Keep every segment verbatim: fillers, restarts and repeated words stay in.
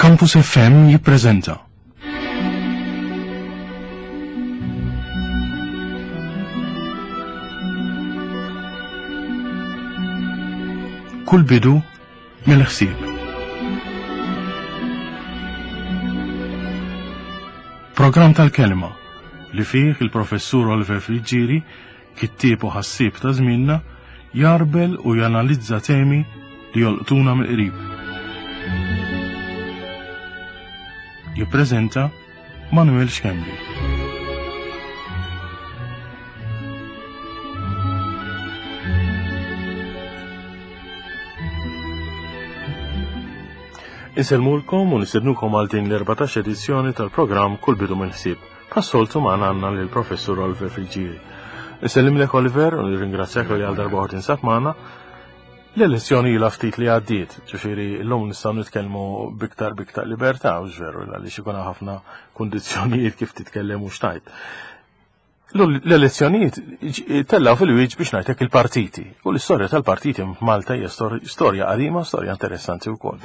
Campus F M jippreżenta Kull bidu mill-ħsieb. Programm tal-kelma li fih il-professur Oliver Friggieri, kittieb u ħassieb ta' żmienna, jarbel u janalizza temi li jolqtuna mill-qrib. Jippreżenta Manuel Schembri. Insellmulkom u nistednukom għal din l-erbatax edizzjoni tal-programm Kull Bidu mill-Ħsieb. Bħas-soltu magħna għandna lill-Professur Oliver Friggieri. Insellimlek Oliver u nirringrazzjak li għal darba oħra tinsab magħna. L-elezzjoni ilha ftit li għaddiet, ġifieri llum nistgħu nitkellmu biktar biktar libertà, u veru għaliex ikun ħafna kundizzjonijiet kif titkellem u xtajt. L-elezzjonijiet tellaw fil-wieġ biex ngħidlek il-partiti, u l-istorja tal-partiti f'Malta hija storja qadima, storja interessanti wkoll.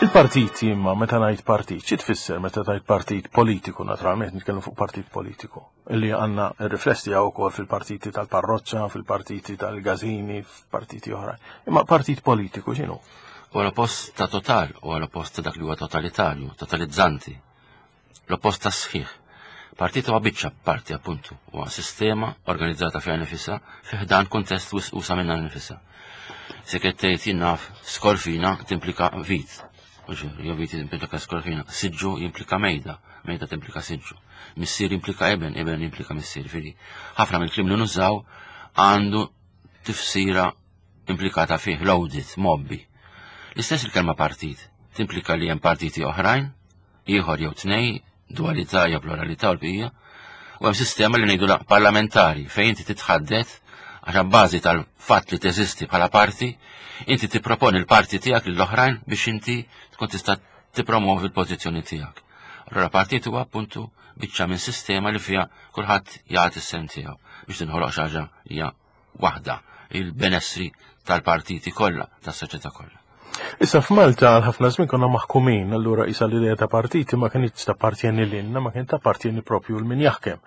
Il-partiti imma meta ngħid partit, xi tfisser meta tgħid partit politiku, naturalment nitkellmu fuq partit politiku, illi għandna r-riflessi tiegħu wkoll fil-partiti tal-parroċċa, fil-partiti tal-gażini, f'partiti oħra. Imma partit politiku x'inhu? Huwa l-oppost ta' total, huwa l-oppost ta' dak li huwa totalitarju, totalizzanti. L-oppost ta' sħiħ. Partit huwa biċċa parti appuntu, huwa sistema organizzata fiha nifisha fi ħdan kuntest wisq usa minnha nifisha. Se qed tgħid jien naf skorfina timplika vit. Jew vit jimplika skorfina, siġġu jimplika mejda, mejda timplika siġġu. Missier jimplika eben, eben jimplika missier. Fili, ħafna mill-kliem li nużaw għandu tifsira implikata fih, loaded, mobbi. L-istess il-kelma partit, timplika li hemm partiti oħrajn, ieħor jew tnej, dualità jew pluralità u l-bqija, u hemm sistema li ngħidu parlamentari fejn inti titħaddet għax abbażi tal-fatt li teżisti bħala parti, inti tipproponi l-parti tiegħek lill-oħrajn biex inti tkun tista' tippromovi l-pożizzjoni tiegħek. Allura partit huwa appuntu biċċa minn sistema li fiha kulħadd jagħti s-sehem tiegħu biex tinħoloq xi ħaġa hija waħda, il-benessri tal-partiti kollha, tas-soċjetà kollha. Issa f'Malta għal ħafna żmien konna maħkumin, allura isa l-idea ta' partiti ma kienx tappartjeni lilna, ma kien tappartjeni propju l min jaħkem.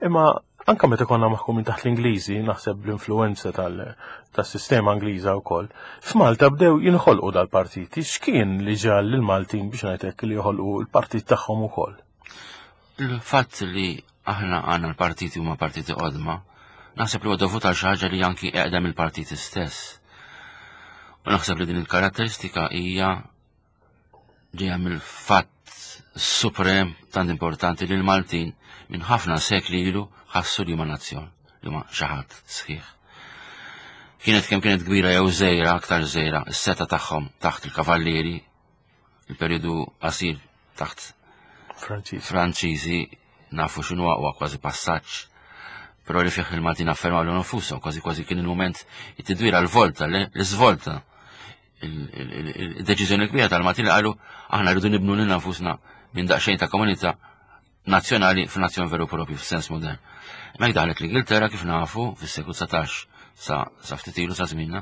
Imma anka meta konna maħkumin taħt l-Ingliżi, naħseb l-influenza tal-, tas-sistema Ingliża wkoll, f'Malta bdew jinħolqu dal-partiti. X'kien li ġal lill-Maltin biex ngħidlek li joħolqu l-partit tagħhom ukoll? Il-fatt li aħna għandna l-partiti huma partiti qodma, naħseb li huwa dovut għal xi ħaġa li anki eqdem il-partiti stess. U naħseb li din il-karatteristika hija ġejja mill-fatt suprem tant importanti li l-Maltin minn ħafna sekli ilu ħassu li huma nazzjon, li huma xi ħadd sħiħ. Kienet kemm kienet kbira jew żgħira, aktar żgħira, is-seta tagħhom taħt il-kavallieri, il-perjodu qasir taħt Franċiżi. Franċiżi, nafu x'inhu huwa kważi passaġġ, però li fih il-Maltin affermaw lilhom infushom, kważi kważi kien il-mument it-tidwira l-volta, l-iżvolta. Il-deċiżjoni kbira tal-Maltin li qalu aħna rridu nibnu lilna nfusna minn daqsxejn ta' komunità nazzjonali f'nazzjon veru propju f'sens modern. Hemmhekk daħlet l-Ingilterra kif nafu fis-seklu dsatax sa, sa ftit ilu sa żmienna,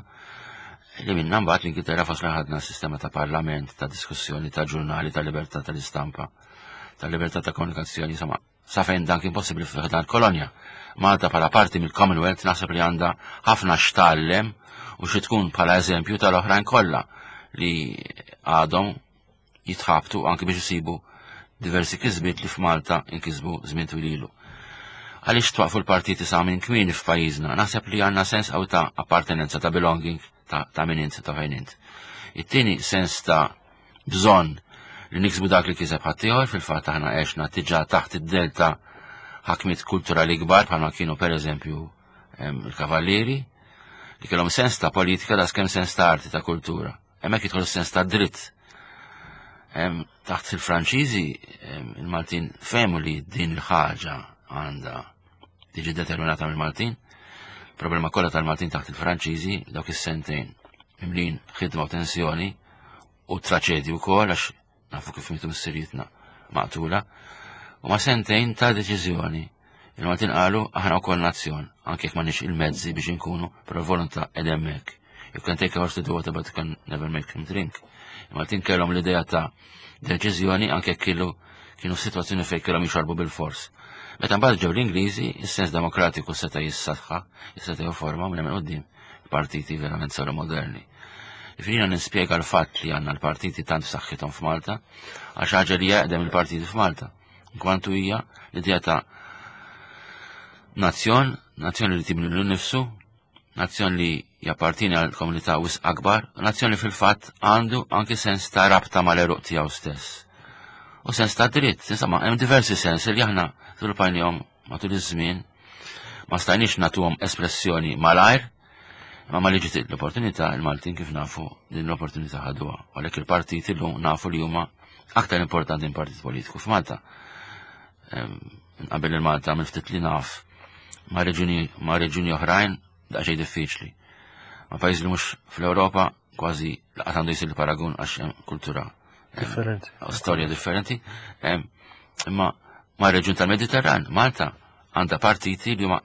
li minna mbagħad l-Ingilterra fasla ħadna sistema ta' parlament, ta' diskussjoni, ta' ġurnali, ta' libertà tal-istampa, ta' libertà ta' komunikazzjoni, insomma, sa fejn dan kien possibbli f'dan kolonja. Malta bħala parti mill-Commonwealth naħseb li għandha ħafna x'tgħallem u xi tkun bħala eżempju tal-oħrajn kollha li għadhom jitħabtu anki biex isibu diversi kisbiet li f'Malta inkisbu żmien twil ilu. Għaliex twaqfu l-partiti sa minn kmieni f'pajjiżna, naħseb li għandna sens qawwi ta' appartenenza, ta' belonging, ta', ta' min int, ta' fejn int. It-tieni sens ta' bżonn li niksbu dak li kiseb ħaddieħor, fil-fatt aħna għexna diġà taħt id-delta ħakmiet kulturali kbar bħalma kienu pereżempju, em, il-kavallieri, li kellhom sens ta' politika da skemm sens ta' arti, ta' kultura. Hemmhekk jidħol sens ta' dritt. Em, taħt il-Franċiżi, em, il-Maltin fehmu li din il-ħaġa għandha tiġi determinata mill-Maltin. Problema kollha tal-Maltin taħt il-Franċiżi dawk is-sentejn mimlin ħidma u tensjoni u traċedju wkoll għax Nafu kif mietu missirietna maqtula. U ma sentejn ta' deċiżjoni. Il-Maltin qalu aħna wkoll nazzjon, anke jekk m'għandniex il-mezzi biex inkunu, però volontà qed hemmhekk. You can take a horse to the water, but you can never make him drink. Il-Maltin kellhom l-idea ta' deċiżjoni anke jekk kienu kienu f'sitwazzjoni fejn kellhom jixorbu bil-fors. Meta mbagħad ġew l-Ingliżi, is-sens demokratiku seta' jissaħħa, seta' jifforma minn hemm quddiem partiti verament saru moderni. Jiġifieri nispjega l-fatt li għandna l-partiti tant f'saħħithom f'Malta, għax ħaġa li jaqdem il-partiti f'Malta. Kwantu hija l-idea ta' nazzjon, nazzjon li tibni l nifsu, nazzjon li jappartieni għal komunità wisq akbar, nazzjon li fil-fatt għandu anki sens ta' rabta mal-għeruq tiegħu stess. U sens ta' dritt, insomma, hemm diversi sens li aħna żviluppajnihom matul iż-żmien, ma stajniex nagħtuhom espressjoni malajr, ma ma li ġiet l-opportunità, il-Maltin kif nafu din l-opportunità ħaduha. Għalhekk il-partiti llum nafu li huma aktar importanti minn partit politiku f'Malta. Qabel il-Malta minn ftit li naf ma' reġuni ma' reġuni oħrajn daqsxejn diffiċli. Ma' pajjiż li mhux fl-Ewropa kważi laqat għandu jsir paragun għax hemm kultura differenti. Storja differenti. Imma ma' reġjun tal-Mediterran, Malta għandha partiti li huma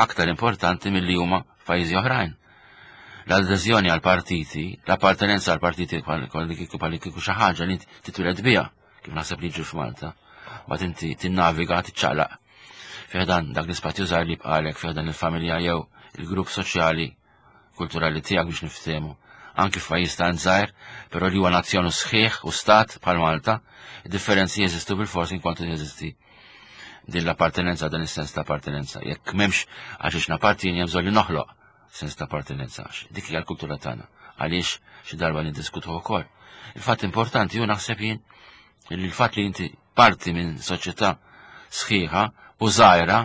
aktar importanti milli huma f'pajjiżi oħrajn. L-adeżjoni għal partiti, l-appartenenza għal partiti bħal kieku bħal kieku xi ħaġa li titwiled biha, kif naħseb li jiġri f'Malta, mbagħad inti tinnaviga tiċċaqlaq. Fi ħdan dak l-ispazju żgħar li bqalek fi ħdan il-familja jew il-grupp soċjali kulturali tiegħek biex niftehmu. Anki f'pajjiż tant żgħir, però li huwa nazzjon sħiħ u stat bħal Malta, id-differenzi jeżistu bil-forsi inkontu jeżisti din l-appartenenza, dan is-sens ta' appartenenza. Jekk m'hemmx għax nappartieni hemm bżonn li noħloq sens ta' appartenenza. Dik hija l-kultura tagħna. Għaliex xi darba niddiskutu wkoll. Il-fatt importanti hu naħseb jien li l-fatt li inti parti minn soċjetà sħiħa u żgħira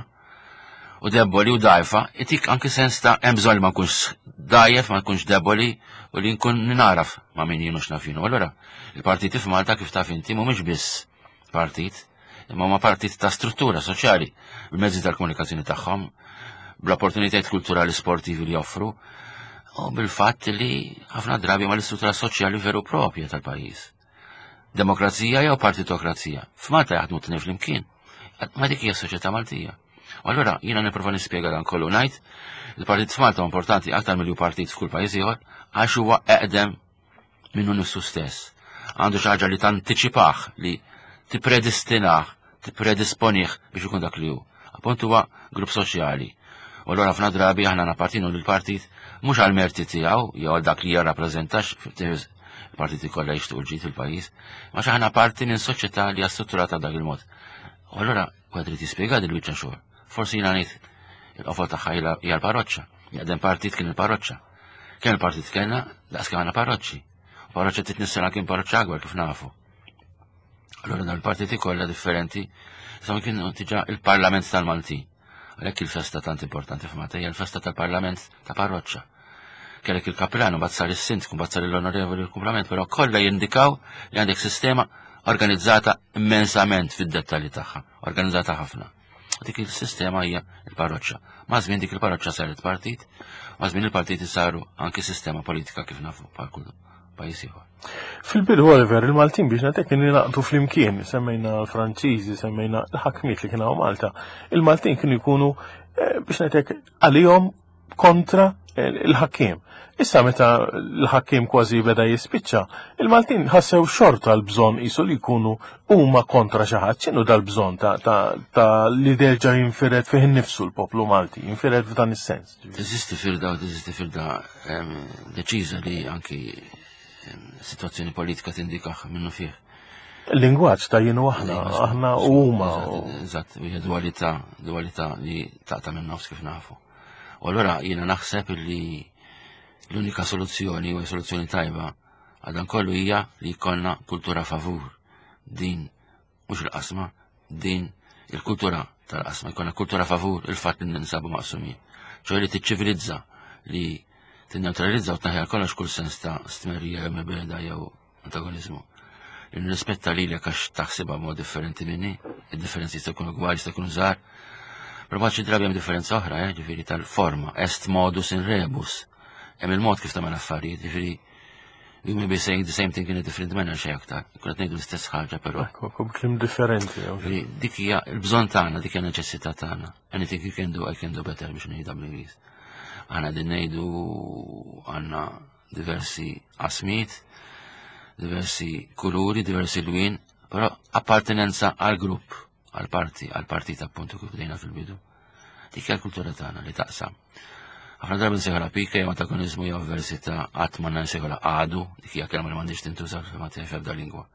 u deboli u dajfa, itik anki sens ta' hemm bżonn li ma nkunx dajjef, ma nkunx deboli u li nkun naraf ma' min jien u x'naf jien. Allura, il-partiti f'Malta kif taf inti mhumiex biss partit, imma huma partit ta' struttura soċjali bil-mezzi tal-komunikazzjoni tagħhom, bl-opportunitajiet kulturali sportivi li joffru, u bil-fatt li ħafna drabi ma l-istruttura soċjali veru propja tal-pajjiż. Demokrazija jew partitokrazija. F'Malta jaħdmu t flimkien. Ma dik hija soċjetà Maltija. U allura jiena nipprova nispjega dan kollu ngħid, il-partit f'Malta importanti aktar milli partit f'kull pajjiż ieħor għax huwa eqdem minnu nifsu stess. Għandu xi ħaġa li tantiċipah, li tippredistinah, tippredisponih biex ikun dak li hu. Appunt huwa grupp soċjali. U allura ħafna drabi aħna nappartinu lill-partit mhux għal merti tiegħu jew għal dak li jirrappreżentax il-partiti kollha jixtiequ l-ġid fil-pajjiż, ma aħna parti minn soċjetà li hija strutturata dak il-mod. U allura wieħed irid jispjega din il-biċċa xogħol. Forsi jiena ngħid il-qofol tagħha hija l-parroċċa. Jaqdem partit kien il-parroċċa. Kemm il-partit kellna, daqs kemm għandna parroċċi. U parroċċa titnissela kien parroċċa akbar kif nafu. Allura dan il-partiti kollha differenti, insomma kienu diġà il-Parlament tal-Maltin. Għalhekk il-festa tant importanti f'Malta hija l-festa tal-Parlament ta' parroċċa. Kellek il-kapellanu, mbagħad sar is-sindku, mbagħad sar l-onorevoli l-kumplament, però kollha jindikaw li għandek sistema organizzata immensament fid-dettalji tagħha, organizzata ħafna. Dik il-sistema hija il-parroċċa. Ma' żmien dik il-parroċċa saret partit, ma' żmien il-partiti saru anki sistema politika kif nafu bħal kull pajjiż ieħor. Fil-bidu Oliver, il-Maltin biex natek kienu jingħaqdu flimkien, semmejna l-Franċiżi, semmejna l-ħakmiet li kienu Malta. Il-Maltin kienu jkunu eh, biex natek għalihom kontra il-ħakkiem. Issa meta l-ħakkiem kważi beda jispiċċa, il-Maltin ħassew xorta l-bżonn qisu li jkunu huma kontra xi ħadd. X'inhu dal-bżonn ta', ta, ta' li derġa' jinfired fih innifsu l-poplu Malti, jinfired f'dan is-sens. Teżisti firda u teżisti firda em, deċiża li anki em, situazzjoni politika tindikax minnu fih. Il-lingwaġġ ta' jien u aħna, aħna u huma. Eżatt, hija dualità, dualità li taqta' minn nofs kif nafu. U allura jiena naħseb li l-unika soluzzjoni u soluzzjoni tajba għal dan kollu hija li jkollna kultura favur din mhux il-qasma, din il-kultura tal-qasma, jkollna kultura favur il-fatt li ninsabu maqsumin. ċoè li tiċċivilizza, li tinneutralizza u tneħħi kollox kull sens ta' stmerrija jew mibegħda jew antagonizmu. Li nirrispetta lilek għax taħsibha mod differenti minni, id-differenzi jistgħu jkunu kbar, jistgħu jkunu żgħar. Però mbagħad xi drabi hemm differenza oħra, eh, ġifieri tal-forma, est modus in rebus. Hemm il-mod kif tagħmel affarijiet, ġifieri We may be saying the same thing in a different manner xejn aktar. Kun qed ngħidu l-istess ħaġa però. Ekku, b'kliem differenti. Dik hija l-bżonn tagħna, dik hija neċessità tagħna. Anything you can do, I can do better biex ngħidha bl-Ingliż. Aħna din ngħidu għandna diversi qasmiet, diversi kuluri, diversi lwien, però appartenenza għal grupp, għal parti, għal partit appuntu kif bdejna fil-bidu. Dik hija l-kultura tagħna li taqsam. Ħafna drabi nsejħulha pika jew antagonizmu jew avversità, qatt ma nsejħulha għadu, dik hija kelma li m'għandix tintuża fil-Malti f'ebda lingwa.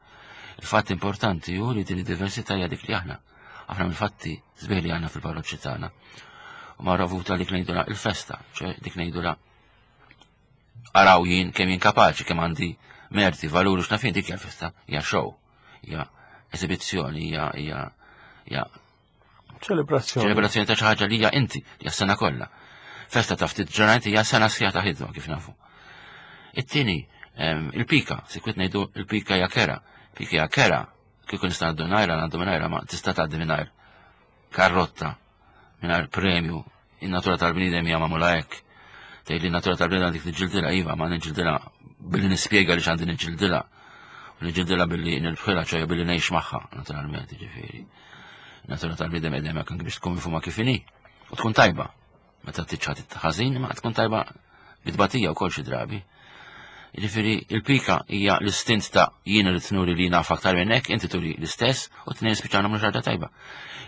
Il-fatt importanti hu li din id-diversità hija dik li aħna. Aħna mill-fatti sbieħ li għandna fil-parroċċi tagħna. U ma ravuta dik ngħidula il-festa, ċe dik ngħidula araw jien kemm jien kapaċi, kemm għandi merti, valuri, x'naf jien, dik hija festa, hija show, hija esibizzjoni, hija hija hija ċelebrazzjoni. Ċelebrazzjoni ta' xi ħaġa li hija inti, li hija sena kollha. Festa ta' ftit ġurnati hija sena sħiħa ta' ħidma kif nafu. It-tieni, il-pika, sikwit ngħidu il-pika hija kera. Pika hija kera, kieku nista' ngħaddu mingħajrha, ngħaddu mingħajrha, ma tista' tgħaddi mingħajr karrotta, mingħajr premju. In-natura tal-bniedem hija magħmula hekk. Tgħid li n-natura tal-bniedem għandek tiġġildilha, iva, ma niġġildilha billi nispjega li x'għandi niġġildilha. U niġġildilha billi nilbħilha, ċoħe billi ngħix magħha, naturalment, jiġifieri. Natura tal-bniedem qegħdem hekk anke biex tkun mifhuma kif inhi. U tkun tajba. Meta tiċċat ħażin, ma tkun tajba bitbatija wkoll xi drabi. Jiġifieri il-pika hija l-istint ta' jien irid nuri li naf aktar minn hekk, inti turi l-istess u tnejn spiċċaw nagħmlu xi ħaġa tajba.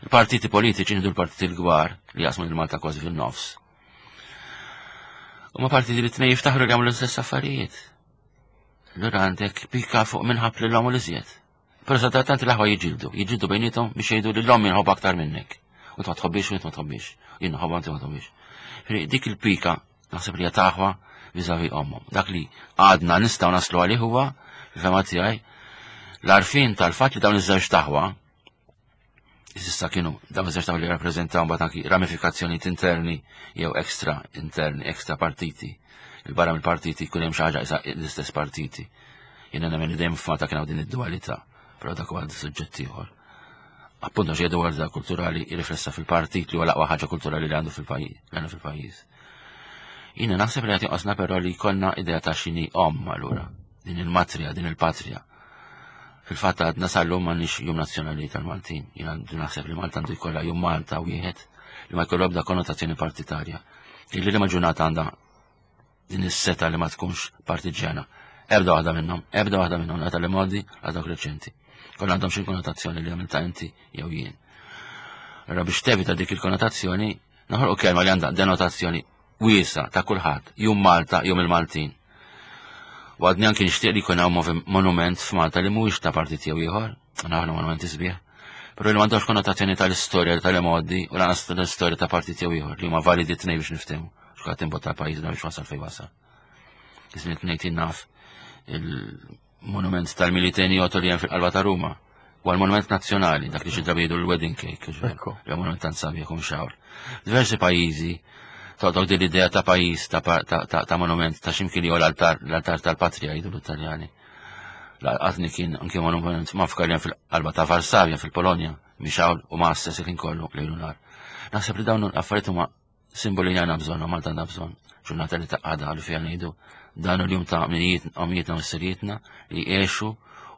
Il-partiti politiċi, nieħdu l-partiti l-kbar li jaqsmu lil Malta kważi fin-nofs. U ma partiti li tnejn jiftaħru li jagħmlu l-istess affarijiet. Allura għandek pika fuq minħab lil l iżjed. Però sadattant l-aħwa jiġildu, jiġildu bejnietom biex jgħidu li l-omm inħobb aktar minnek. U ma tħobbix u ma tħobbix. Jien nħobbha inti ma tħobbix. Dik il-pika naħseb li hija taħwa vis-à-vis ommhom. Dak li għadna nistgħu naslu għalih huwa, fil-fehma tiegħi, l-għarfien tal-fatt li dawn iż-żewġ taħwa, issa kienu dawn iż-żewġ taħwa li rappreżentaw mbagħad anki ramifikazzjonijiet interni jew ekstra interni, ekstra partiti. Il-barra mill-partiti jkun hemm xi ħaġa isa l-istess partiti. Jiena nemmen li dejjem f'Malta kien hawn din id-dualità, però dak huwa suġġett ieħor. Appunto xi dualità kulturali riflessa fil-partit li huwa l-aqwa ħaġa kulturali li għandu fil-pajjiż, li għandu fil-pajjiż. Jiena naħseb li qed jonqosna però li jkollna idea ta' x'inhi omm allura, din il-matrija, din il-patrija. Fil-fatt għadna sal-lum m'għandniex jum nazzjonali tal-Maltin. Jiena għandu naħseb li Malta għandu jkollha jum Malta wieħed li ma jkollu ebda konnotazzjoni partitarja. Illi li ma ġurnata għandha din is-seta li ma tkunx partiġjana. Ebda waħda minnhom, ebda waħda minnhom, la tal-modi, la dawk reċenti. Kollha għandhom xi konnotazzjoni li għamilta inti jew jien. Allora biex tevita dik il-konnotazzjoni, naħolqu kelma li għandha denotazzjoni wiesa ta' kulħadd, jum Malta, jum il-Maltin. U għadni anki nixtieq li jkun hawn monument f'Malta li mhuwiex ta' partit jew ieħor, naħlu monumenti sbieħ, però li m'għandhomx konnotazzjoni tal-istorja tal-modi u lanqas tal-istorja ta' partit jew ieħor li huma validi tnejn biex niftehmu. X'qed imbotta pajjiżna biex wasal fejn wasal. Iżmin tnejn naf il-monument tal-Militeni Otto li hemm fil-qalba ta' Ruma. U għal-monument nazzjonali, dak li xi drabi jgħidu l-wedding cake, ġifieri, monument tant sabiħ u mxawr. Diversi pajjiżi toqgħod din l-idea ta' pajjiż ta' ta' monument ta' x'imkien jew l-altar l-altar tal-patrija jgħidu l-Italjani. Laqatni kien anke monument mafkar li fil-qalba ta' Varsavja fil-Polonja, mixawl u ma' stess kien kollu lejlu nar. Naħseb li dawn l-affarijiet huma simboli li għandna bżonn, u Malta għandha bżonn. Ġurnata li taqgħadha li fiha ngħidu dan il-jum ta' minijiet omijietna u missirietna li għexu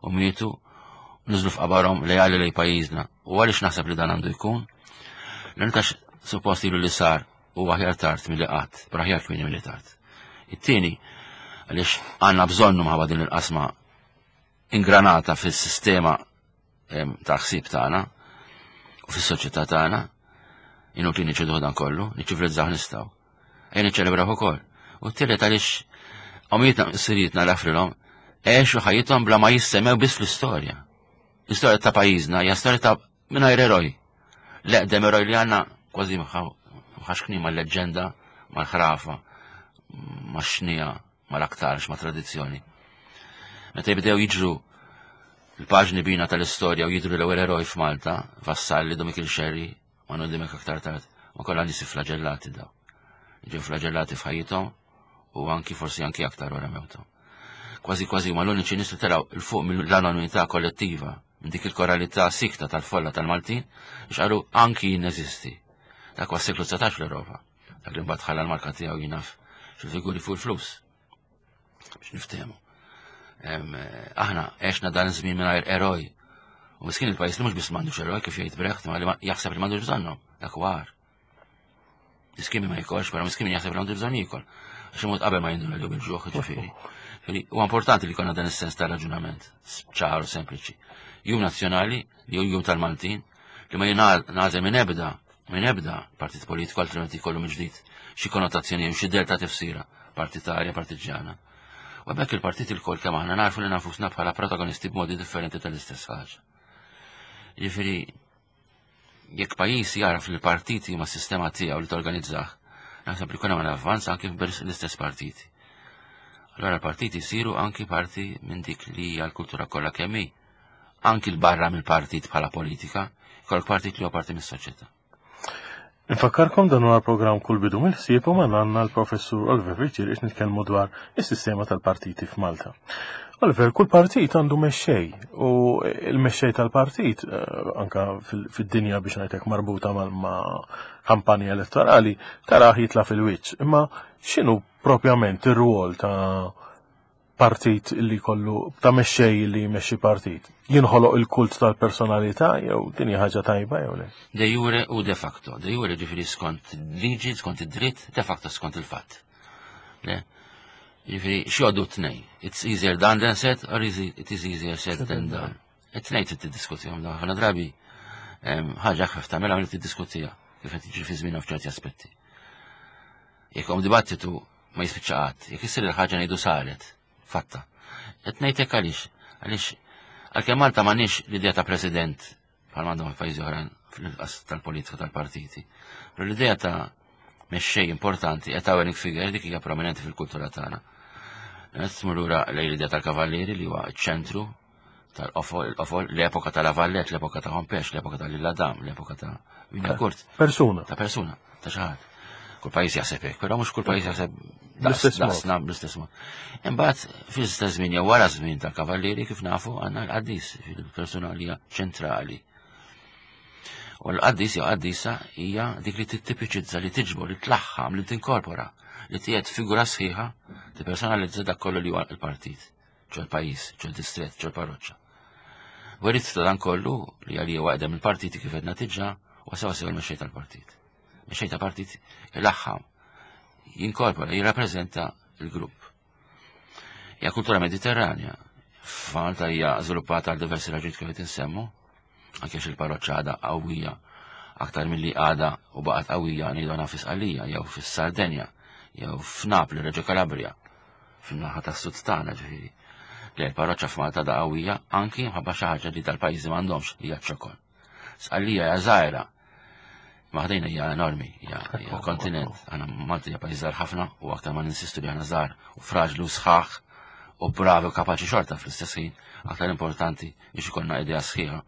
u mietu u niżlu f'qabarhom lejali lej pajjiżna. U għaliex naħseb li dan għandu jkun? L-għantax suppost ilu li sar u aħjar tard milli qatt, però aħjar kmieni milli tard. It-tieni, għaliex għandna bżonnu mħabba din il-qasma ingranata fis-sistema ta' ħsieb tagħna u fis-soċjetà tagħna, inutli niċċeduh dan kollu, niċċivilizzaw nistgħu. Ejja niċċelebraw ukoll. U t-tielet għaliex omijietna missirietna l-afrilhom għexu ħajjithom bla ma jissemmew biss fl-istorja. L-istorja ta' pajjiżna hija storja ta' mingħajr eroj. L-eqdem eroj li għandna kważi mħaxkni mal-leġġenda, mal-ħrafa, max-xnija, mal-aktarx, ma' tradizzjoni. Meta jibdew jiġru l-paġni bina tal-istorja u jidru l-ewwel eroj f'Malta, Vassalli, Dom Mikiel Xerri, ma nodimek aktar tard, ma kollha nies flagellati daw. Ġew flagellati f'ħajjithom u anki forsi anki aktar wara mewthom. Kważi kważi huma l-uniċi nies li telgħu 'l fuq mill-anonimità kollettiva, minn dik il-koralità sikta tal-folla tal-Maltin, biex qalu anki jien neżisti. Dak huwa s-seklu dsatax fl-Ewropa. Dak li mbagħad ħalla l-marka tiegħu jinaf fil-figuri fuq il-flus. Biex niftehmu. Aħna għexna dan iż-żmien mingħajr eroj. U miskin il-pajjiż li mhux biss m'għandux eroj kif jgħid Brecht, ma li jaħseb li m'għandux bżonnhom, dak huwa agħar. Miskin ma jikolx, però miskin jaħseb li għandu bżonn jiekol. Għax imut qabel ma jinduna li bil-ġuħ, ġifieri. Huwa importanti li jkollna dan is-sens ta' raġunament, ċar u sempliċi. Jum nazzjonali, li hu jum tal-Maltin, li ma jingħażel minn ebda, minn ebda partit politiku, altrimenti jkollu mill-ġdid xi konnotazzjoni jew xi del ta' tifsira partitarja, partiġjana. U hemmhekk il-partit ilkoll kemm aħna narfu li nafusna bħala protagonisti b'modi differenti tal-istess ħaġa. Jiġifieri, jekk pajjiż jaraf li l-partiti huma s-sistema tiegħu li torganizzah, naħseb li jkun hemm avvanz anki l-istess partiti. Allora l-partiti jsiru anki parti minn dik li hija l-kultura kollha kemm hi. Anki l-barra mill-partit bħala politika, jkollok partit li huwa parti mis-soċjetà. Infakkarkom dan huwa programm Kull Bidu mill-Ħsieb u magħna għandna l-Professur Oliver Friggieri qed nitkellmu dwar is-sistema tal-partiti f'Malta. Oliver, kull partit għandu mexxej u l-mexxej tal-partit eh, anka fid-dinja biex ngħidlek marbuta ma' kampanja elettorali taraħ jitla' fil-wiċċ. Imma x'inhu propjament ir-rwol ta' partit li kollu ta' mexxej li jmexxi partit? Jinħoloq il-kult tal-personalità jew din hija ħaġa tajba jew le? De jure u de facto. De jure ġifieri skont liġi, skont id-dritt, de facto skont il-fatt. Le? Ġifieri x'jgħoddu t-tnejn. It's easier done than said or is it is easier said than done. It-tnejn trid tiddiskutihom dawn. Ħafna drabi ħaġa ħafna tagħmilha milli tiddiskutiha kif qed jiġri fi żmienna f'ċerti aspetti. Jekk hawn dibattitu ma jispiċċa qatt, jekk issir il-ħaġa ngħidu saret, fatta. Qed ngħidlek għaliex, għaliex għalkemm Malta m'għandniex l-idea ta' president bħal m'għandhom f'pajjiżi oħrajn fil-qas tal-politika tal-partiti. Però l-idea ta' mexxej importanti, a towering figure, dik hija prominenti fil-kultura tagħna. Tmur lura lejn l-idea tal-kavallieri li huwa ċ-ċentru tal-qofol, il-qofol, l-epoka tal-Avallet, l-epoka ta' Hompesch, l-epoka tal-Illadam, l-epoka ta' Kurt. Persuna. Ta' persuna, ta' xi ħadd. Kull pajjiż jaħseb hekk, però mhux kull pajjiż jaħseb daqsna bl-istess mod. Imbagħad fl-istess żmien jew wara żmien tal-kavallieri kif nafu għandna l-qaddis, il-persuna li hija ċentrali. U l-qaddis jew qaddisa hija dik li tittipiċizza, li tiġbor, li tlaħħam, li tinkorpora, li tiegħed figura sħiħa tippersonalizza dak kollu li huwa l-partit, ġo l-pajjiż, ġo l-distret, ġo l-parroċċa. Werit ta' dan kollu li għalija waqdem il-partiti kif qed diġà u sewa sew il-mexxej tal-partit. Mexxej ta' partit ilaħħam, jinkorpora, jirrappreżenta l-grupp. Hija kultura mediterranja. F'Malta hija żviluppata għal diversi raġunijiet kif qed insemmu, anke għax il-parroċċa għadha qawwija aktar milli għadha u baqgħet qawwija ngħidu għana fi Sqallija jew fis-Sardenja jew f'Napli, Reggio Calabria, fin-naħa tas-sud tagħna ġifieri. Le l-parroċċa f'Malta da qawwija anki mħabba xi ħaġa li dal-pajjiżi m'għandhomx hija ċ-ċokon. Sqallija hija żgħira, ma ħdejna hija enormi, hija kontinent. Aħna Malta hija pajjiż żgħar ħafna u aktar ma ninsistu li aħna żgħar u fraġli u sħaħ u bravi u kapaċi xorta fl-istess ħin, aktar importanti biex ikollna idea sħiħa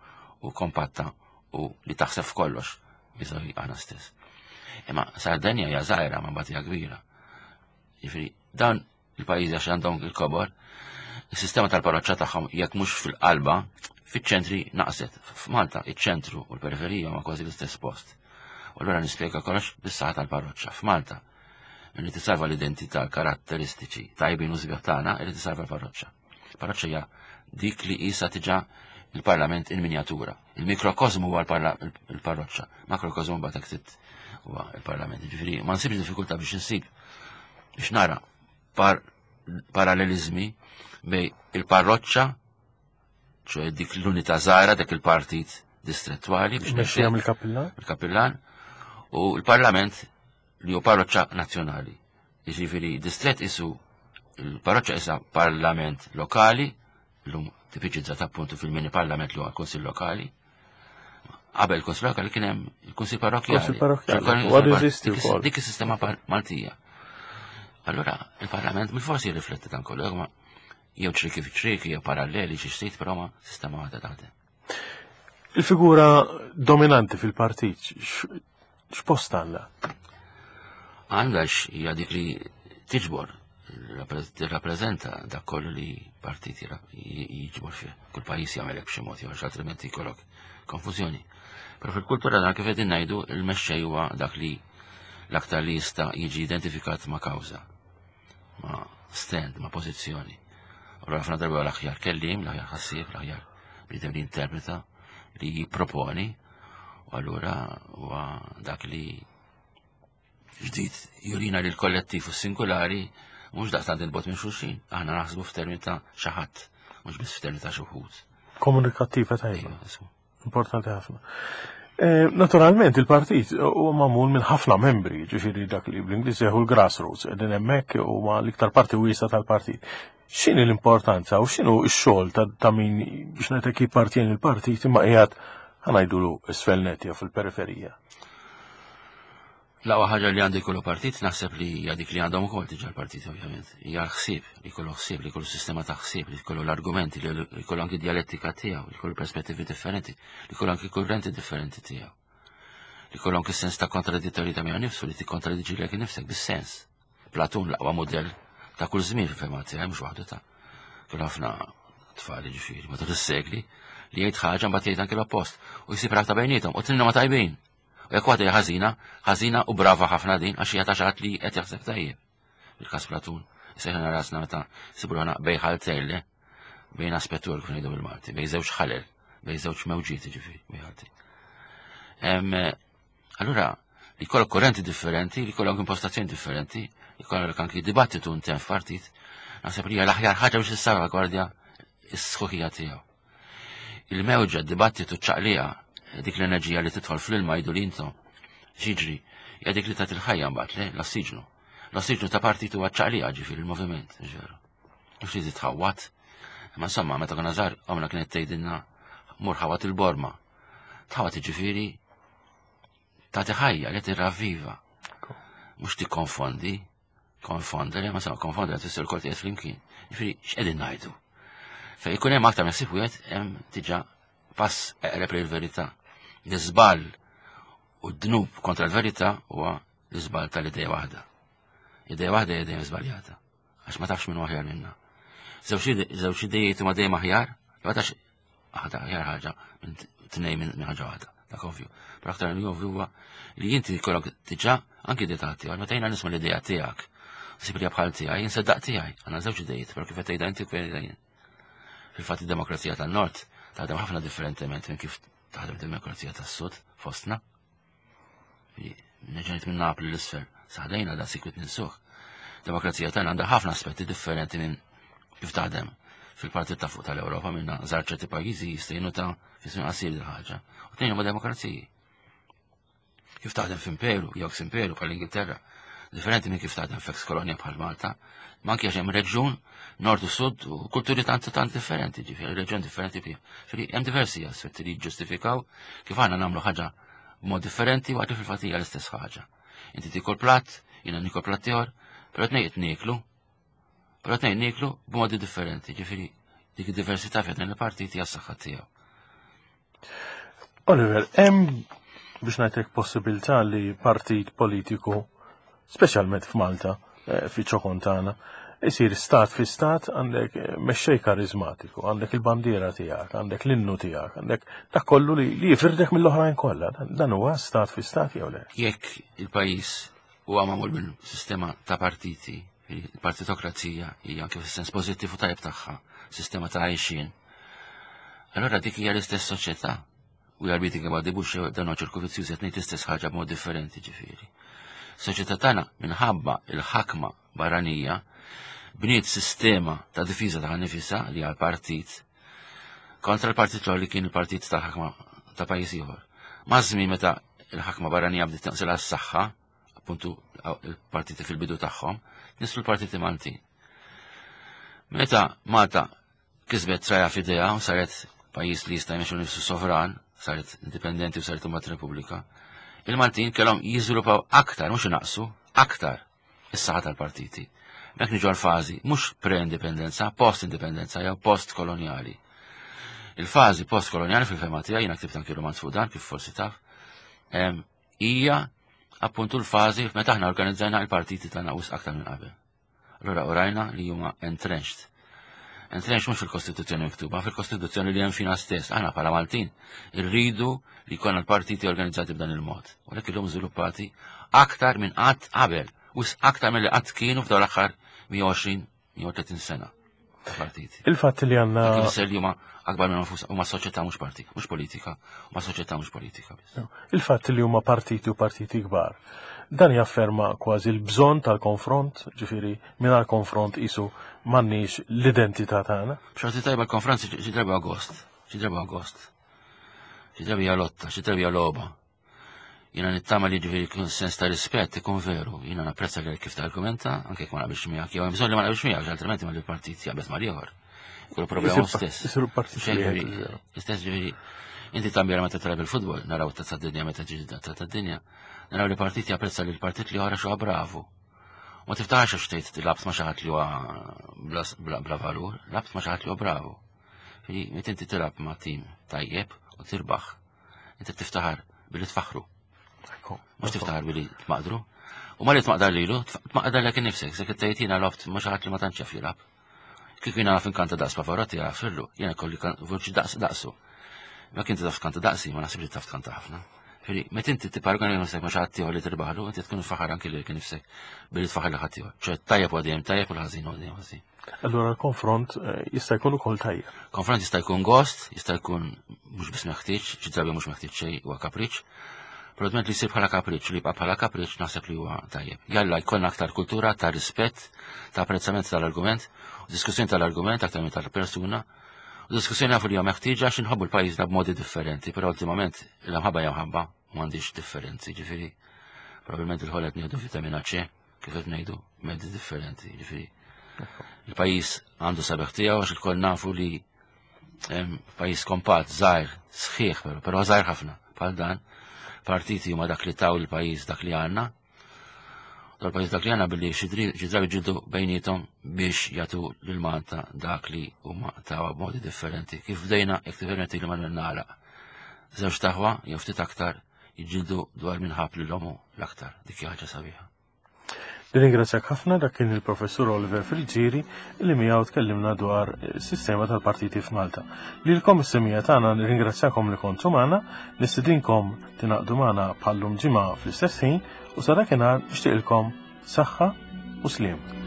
u kompatta u li taħseb f'kollox biżawi aħna stess. Imma Sardenja hija żgħira ma mbagħad hija kbira. Jiġifieri dawn il-pajjiżi għax għandhom il-kobor, is-sistema tal-parroċċa tagħhom jekk mhux fil-qalba, fiċ-ċentri naqset. F'Malta iċ-ċentru u l-periferija ma kważi l-istess post. U allura nispjega kollox bis-saħħa tal-parroċċa. F'Malta, li tisalva l-identità, karatteristiċi tajbin u sbieħ tagħna, irid tisalva l-parroċċa. Il-parroċċa hija dik li qisha diġà il-parlament in minjatura. Il-mikrokosmu huwa l-parroċċa, makrokozmu mbagħad hekk huwa il-parlament. Ġifieri ma nsibx diffikultà biex insib biex nara par parallelizmi bej il-parroċċa, ċoħe dik l-unità żgħira, dik il-partit distrettuali biex Mexxija mill-kapillan. Il-kapillan u l-parlament li hu parroċċa nazzjonali. Jiġifieri distret isu il-parroċċa isa parlament lokali, l-lum tipiċizzat appuntu fil-mini parlament li huwa l-Kunsill Lokali. Qabel il-Kunsill Lokali kien hemm il-Kunsill Parrokkjali. Kunsill Parrokkjali. U għadu jeżisti wkoll. Dik is-sistema Maltija. Allura il-Parlament mill-forsi jirrifletti dan kollu, ma jew ċriki fi ċriki, jew paralleli xi xtejt, però ma sistema waħda taħdem. Il-figura dominanti fil-partit, x'post għandha? Għandha hija dik li tiġbor, tirrappreżenta dak kollu li partit jiġbor fih. Kull pajjiż jagħmel hekk b'xi mod jew altrimenti jkollok konfużjoni. Però fil-kultura dan kif qegħdin ngħidu il-mexxej huwa dak li l-aktar li jista' jiġi identifikat ma' kawża, ma' stand, ma' pożizzjoni. U ħafna darba l-aħjar kellim, l-aħjar ħassieb, l-aħjar bniedem li interpreta, li jipproponi, u allura huwa dak li ġdid jurina li l-kollettiv u singolari mhux daqstant il-bogħod minn xulxin. Aħna naħsbu f'termini ta' xi ħadd, mhux biss f'termini ta' xi wħud. Komunikattiva tajba. Importanti ħafna. Eh, naturalment il-partit huwa magħmul minn ħafna membri, ġifieri dak li bl-Ingliż jgħidu l-grassroots, qegħdin hemmhekk huma l-iktar parti wiesa tal-partit. X'inhi l-importanza u x'inhu x-xogħol ta' min biex ngħidlek jippartjeni l-partit imma qiegħed ħa ngħidulu isfel nett jew fil-periferija? L-aqwa ħaġa li għandu jkollu partit, naħseb li hija dik li għandhom ukoll diġà l-partit ovvjament. Hija l-ħsieb, li jkollu ħsieb, li jkollu sistema ta' ħsieb, li jkollu l-argumenti, li jkollu anki dialettika tiegħu, li jkollu perspettivi differenti, li jkollu anki kurrenti differenti tiegħu. Li jkollu anki sens ta' kontradittorjetà miegħu nifsu, li tikkontradiġi lilek nifsek bis-sens. Platun l-aqwa modell ta' kull żmien fil-fehma tiegħi, mhux waħdu ta' kien ħafna tfal ġifieri matul is-sekli li jgħid ħaġa, mbagħad jgħid anki l-oppost u jsib rabta bejniethom u tnejn ma tajbin. U jekk waħda hija ħażina, ħażina u brava ħafna din għax hija ta' xi ħadd li qed jaħseb tajjeb. Il-każ Platun, sejħna rasna meta sibu ruħna bejn ħaltejn, le, bejn aspettur kif ngħidu bil-Malti, bejn żewġ ħalel, bejn żewġ mewġiet ġifieri, bejn ħaltejn. Allura, li jkollok korrenti differenti, li jkollok impostazzjoni differenti, li jkollok anki dibattitu intern f'partit, naħseb li hija l-aħjar ħaġa biex tissalvagwardja s-sħuħija tiegħu. Il-mewġa, dibattitu, ċaqlija, dik l-enerġija li tidħol fl-ilma jgħidu li intom. Xiġri, hija dik li tagħti il-ħajja mbagħad, le, l-ossiġnu. L-ossiġnu ta' partit huwa ċaqlija, ġifieri il-moviment, ġveru. Mhux li titħawat. Ma insomma, meta konna żgħar, omna kienet tgħidilna mur ħawat il-borma. Tħawat ġifieri tagħti ħajja li tirravviva. Mhux tikkonfondi, konfondere, ma sa konfondere tfisser kol qiegħed flimkien. Ġifieri x'qegħdin ngħidu? Fejn ikun hemm aktar minn ħsieb wieħed, hemm diġà pass eqreb lil verità. L-iżball u d-dnub kontra l-verità huwa l-iżball tal-idea waħda. Idea waħda hija dejjem żbaljata, għax ma tafx minn aħjar minna. Żewġ idejiet huma dejjem aħjar, ma tafx aħda aħjar ħaġa minn tnejn minn ħaġa waħda. Dak ovvju. Però aktar li ovvju huwa li inti jkollok diġà anki idea tiegħek, meta jiena nisma' l-idea tiegħek, sib li bħal tiegħi, jinseddaq tiegħi, għandna żewġ idejiet, però kif qed tgħidha inti kif. Fil-fatt id-demokrazija tan-Nord taħdem ħafna differentement minn kif taħdem demokrazija tas-Sud fostna. Neġenit minn Napli l-isfel, saħdejna da sikwit ninsuh. Demokrazija tagħna għandha ħafna aspetti differenti minn kif taħdem fil-parti ta' fuq tal-Ewropa, minna żar ċerti pajjiżi jistejnu ta' fi żmien qasir il ħaġa. U tnejn huma demokraziji. Kif taħdem f'imperu, jew imperu bħal-Ingilterra, differenti minn kif taħdem f'ex kolonja bħal Malta, ma anke għax hemm reġjun nord u sud u kulturi tant tant differenti, ġifieri reġjun differenti fih. Ġifieri hemm diversi aspetti li jiġġustifikaw kif aħna nagħmlu ħaġa b'mod differenti waqt li fil-fatt hija l-istess ħaġa. Inti tikol platt, jiena nikol platt ieħor, però tnejn qed nieklu, però tnejn nieklu b'modi differenti, ġifieri dik id-diversità fejn il-partit hija s-saħħa tiegħu. Oliver, hemm biex ngħidlek possibilità li partit politiku, speċjalment f'Malta, eh, fi ċokon tagħna, isir stat fi stat, għandek eh, mexxej karizmatiku, għandek il-bandiera tiegħek, għandek l-innu tiegħek, għandek dak kollu li, li jifrirdek mill-oħrajn kollha. Dan huwa stat fi stat jew le? Jekk il-pajjiż huwa magħmul minn sistema ta' partiti, il-partitokrazija hija anke fis-sens pożittiv u tajjeb tagħha, sistema ta' għajxien, allora dik hija l-istess soċjetà. We are beating about the bush, dan huwa ċirku vizzjuż, qed ngħid l-istess ħaġa b'mod differenti ġifieri. Soċjetà tagħna minħabba il-ħakma barranija bniet sistema ta' difiża ta' nifisha li għal partit kontra l-partit l li kien il-partit tal-ħakma ta' pajjiż ieħor. Maż-żmien meta il-ħakma barranija bdiet tnaqsilha s-saħħa, appuntu il-partiti fil-bidu tagħhom, nislu l-partiti Maltin. Meta Malta kisbet traja f'idea u saret pajjiż li jista' jmexxu nifsu sovran, saret indipendenti u saret imbagħad Repubblika, il-Maltin kellhom jiżviluppaw aktar, mhux inaqsu, aktar is-saħħa tal-partiti. Mek niġu għal-fażi mhux pre-indipendenza, post-indipendenza jew post-kolonjali. Il-fażi post-kolonjali fil-fehma tiegħi, jiena ktibt anki romanz fuq dan kif forsi taf, hija appuntu l-fażi meta aħna organizzajna il-partiti tagħna wisq aktar minn qabel. Allura urajna li huma entrenched. Entrenched mhux fil-Kostituzzjoni miktuba, fil-Kostituzzjoni li hemm fina stess. Aħna bħala Maltin irridu li jkollna l-partiti organizzati b'dan il-mod. U lek illum żviluppati aktar minn qatt qabel, wisq aktar milli qatt kienu f'dawn l-aħħar mija u għoxrin, mija u tletin sena. ta' partiti. Il-fatt li għandna. Kif ifisser li huma akbar minn nfus huma soċjetà mhux partit, mhux politika, huma soċjetà mhux politika biss. Il-fatt li huma partiti u partiti kbar. Dan jafferma kważi l-bżonn tal-konfront, ġifieri mingħajr konfront isu m'għandniex l-identità tagħna. B'xorti tajba l-konfront xi drabi agost, xi drabi agost. Xi drabi hija lotta, xi drabi hija logħba. Jiena nittama li ġifieri jkun sens ta' rispett ikun veru. Jiena napprezza li kif targumenta, anke jekk ma naqbilx miegħek, jew hemm bżonn li ma naqbilx miegħek, altrimenti ma l-partit jaqbel mal-ieħor. Ikunu problema stess. Isiru partit wieħed. Istess ġifieri, inti tambjera meta tilgħab il-futbol, naraw tazza dinja meta ġiġi tazza dinja, naraw li partit japprezza li l-partit li ħara xuha bravu. Ma tiftaħx għax tgħid labt ma xi ħadd li huwa bla, bla valur, labt ma xi ħadd li huwa bravu. Ġifieri, meta inti tilgħab ma' tim tajjeb u tirbaħ, inti tiftaħar billi tfaħru. Mhux tiftaħar billi tmaqdru. U ma li tmaqdar lilu, tmaqdar lek innifsek, se tgħid jiena lobt ma xi ħadd li ma tantx jaf jilgħab. Kieku jiena naf inkanta daqs Pavarotti għafirlu, jiena kolli vuċi daqs daqsu. Ma kien taf tkanta daqsi, ma naħsibx li taf tkanta ħafna. Ġifieri, meta inti tipparagona nifsek ma xi ħadd ieħor li tirbaħlu, inti tkun faħar anki lilek innifsek billi tfaħar li ħadd ieħor. ċe tajjeb u dejjem tajjeb u l-ħażin u dejjem ħażin. Allura l-konfront eh, jista' jkun ukoll tajjeb. Konfront jista' jkun gost, jista' jkun mhux biss meħtieġ, xi drabi mhux meħtieġ xejn huwa kapriċ. Però li jsir bħala kapriċ, li jibqa' bħala kapriċ naħseb li huwa tajjeb. Jalla jkollna aktar kultura ta' rispett, ta' apprezzament tal-argument, u diskussjoni tal-argument aktar minn tal-persuna. U diskussjoni nafu li huwa meħtieġa għax inħobbu l-pajjiżna b'modi differenti, però ultimament il-mħabba hija mħabba m'għandix differenzi, ġifieri probabbilment il-ħolet nieħdu vitamina C, kif qed ngħidu, mezzi differenti, ġifieri. Il-pajjiż għandu sabiħ tiegħu għax ilkoll nafu li pajjiż kompat, żgħir, sħiħ però, però żgħir ħafna bħal dan, partiti huma dak li taw il-pajjiż dak li għandna. Dal-pajjiż dak li għandna billi xi drabi ġildu bejnietom biex jagħtu lil Malta dak li huma tawa b'modi differenti. Kif bdejna jekk differenti li ma nagħlaq. Żewġ taħwa jew ftit aktar jiġġieldu dwar min ħab lil omu l-aktar. Dik hija ħaġa sabiħa. Nirringrazzjak ħafna dak kien il-professur Oliver Friggieri li miegħu tkellimna dwar is-sistema tal-partiti f'Malta. Lilkom is-semija tagħna nirringrazzjakom li kontu magħna, nistidinkom tingħaqdu magħna bħallum ġimgħa fl-istess ħin u sa dakinhar nixtieqilkom saħħa u sliem.